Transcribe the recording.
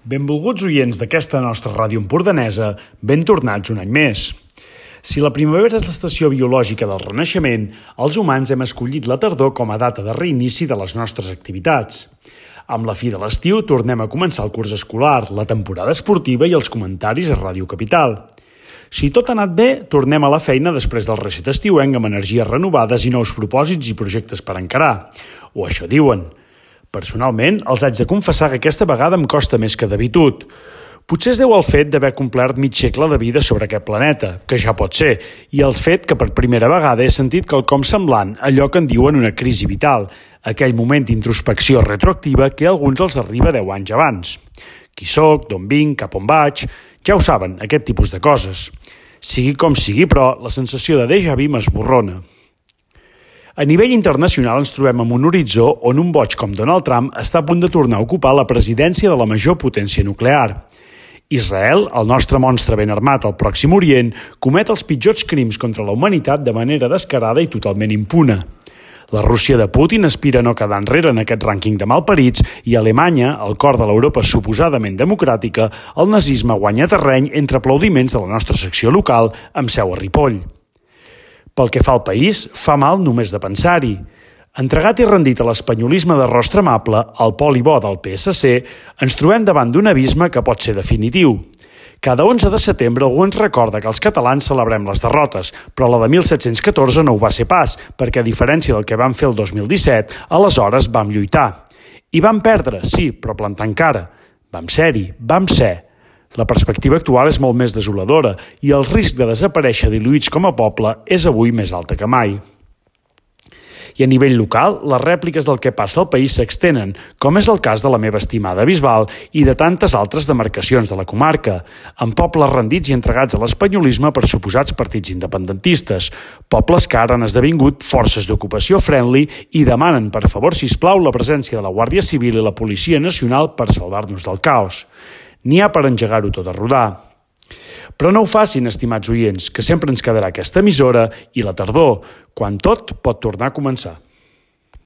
Benvolguts oients d'aquesta nostra ràdio empordanesa, ben tornats un any més. Si la primavera és l'estació biològica del renaixement, els humans hem escollit la tardor com a data de reinici de les nostres activitats. Amb la fi de l'estiu tornem a començar el curs escolar, la temporada esportiva i els comentaris a Ràdio Capital. Si tot ha anat bé, tornem a la feina després del recet estiuenc amb energies renovades i nous propòsits i projectes per encarar. O això diuen. Personalment, els haig de confessar que aquesta vegada em costa més que d'habitud. Potser es deu al fet d'haver complert mig segle de vida sobre aquest planeta, que ja pot ser, i el fet que per primera vegada he sentit quelcom semblant a allò que en diuen una crisi vital, aquell moment d'introspecció retroactiva que a alguns els arriba 10 anys abans. Qui soc, d'on vinc, cap on vaig... Ja ho saben, aquest tipus de coses. Sigui com sigui, però, la sensació de déjà vu m'esborrona. A nivell internacional ens trobem amb un horitzó on un boig com Donald Trump està a punt de tornar a ocupar la presidència de la major potència nuclear. Israel, el nostre monstre ben armat al Pròxim Orient, comet els pitjors crims contra la humanitat de manera descarada i totalment impune. La Rússia de Putin aspira a no quedar enrere en aquest rànquing de malparits i a Alemanya, al cor de l'Europa suposadament democràtica, el nazisme guanya terreny entre aplaudiments de la nostra secció local amb seu a Ripoll. Pel que fa al país, fa mal només de pensar-hi. Entregat i rendit a l'espanyolisme de rostre amable, al poli bo del PSC, ens trobem davant d'un abisme que pot ser definitiu. Cada 11 de setembre algú ens recorda que els catalans celebrem les derrotes, però la de 1714 no ho va ser pas, perquè a diferència del que vam fer el 2017, aleshores vam lluitar. I vam perdre, sí, però plantant cara. Vam ser-hi, vam ser. La perspectiva actual és molt més desoladora i el risc de desaparèixer diluïts com a poble és avui més alta que mai. I a nivell local, les rèpliques del que passa al país s'extenen, com és el cas de la meva estimada Bisbal i de tantes altres demarcacions de la comarca, amb pobles rendits i entregats a l'espanyolisme per suposats partits independentistes, pobles que ara han esdevingut forces d'ocupació friendly i demanen, per favor, sisplau, la presència de la Guàrdia Civil i la Policia Nacional per salvar-nos del caos. N'hi ha per engegar-ho tot a rodar. Però no ho facin, estimats oients, que sempre ens quedarà aquesta emissora i la tardor, quan tot pot tornar a començar.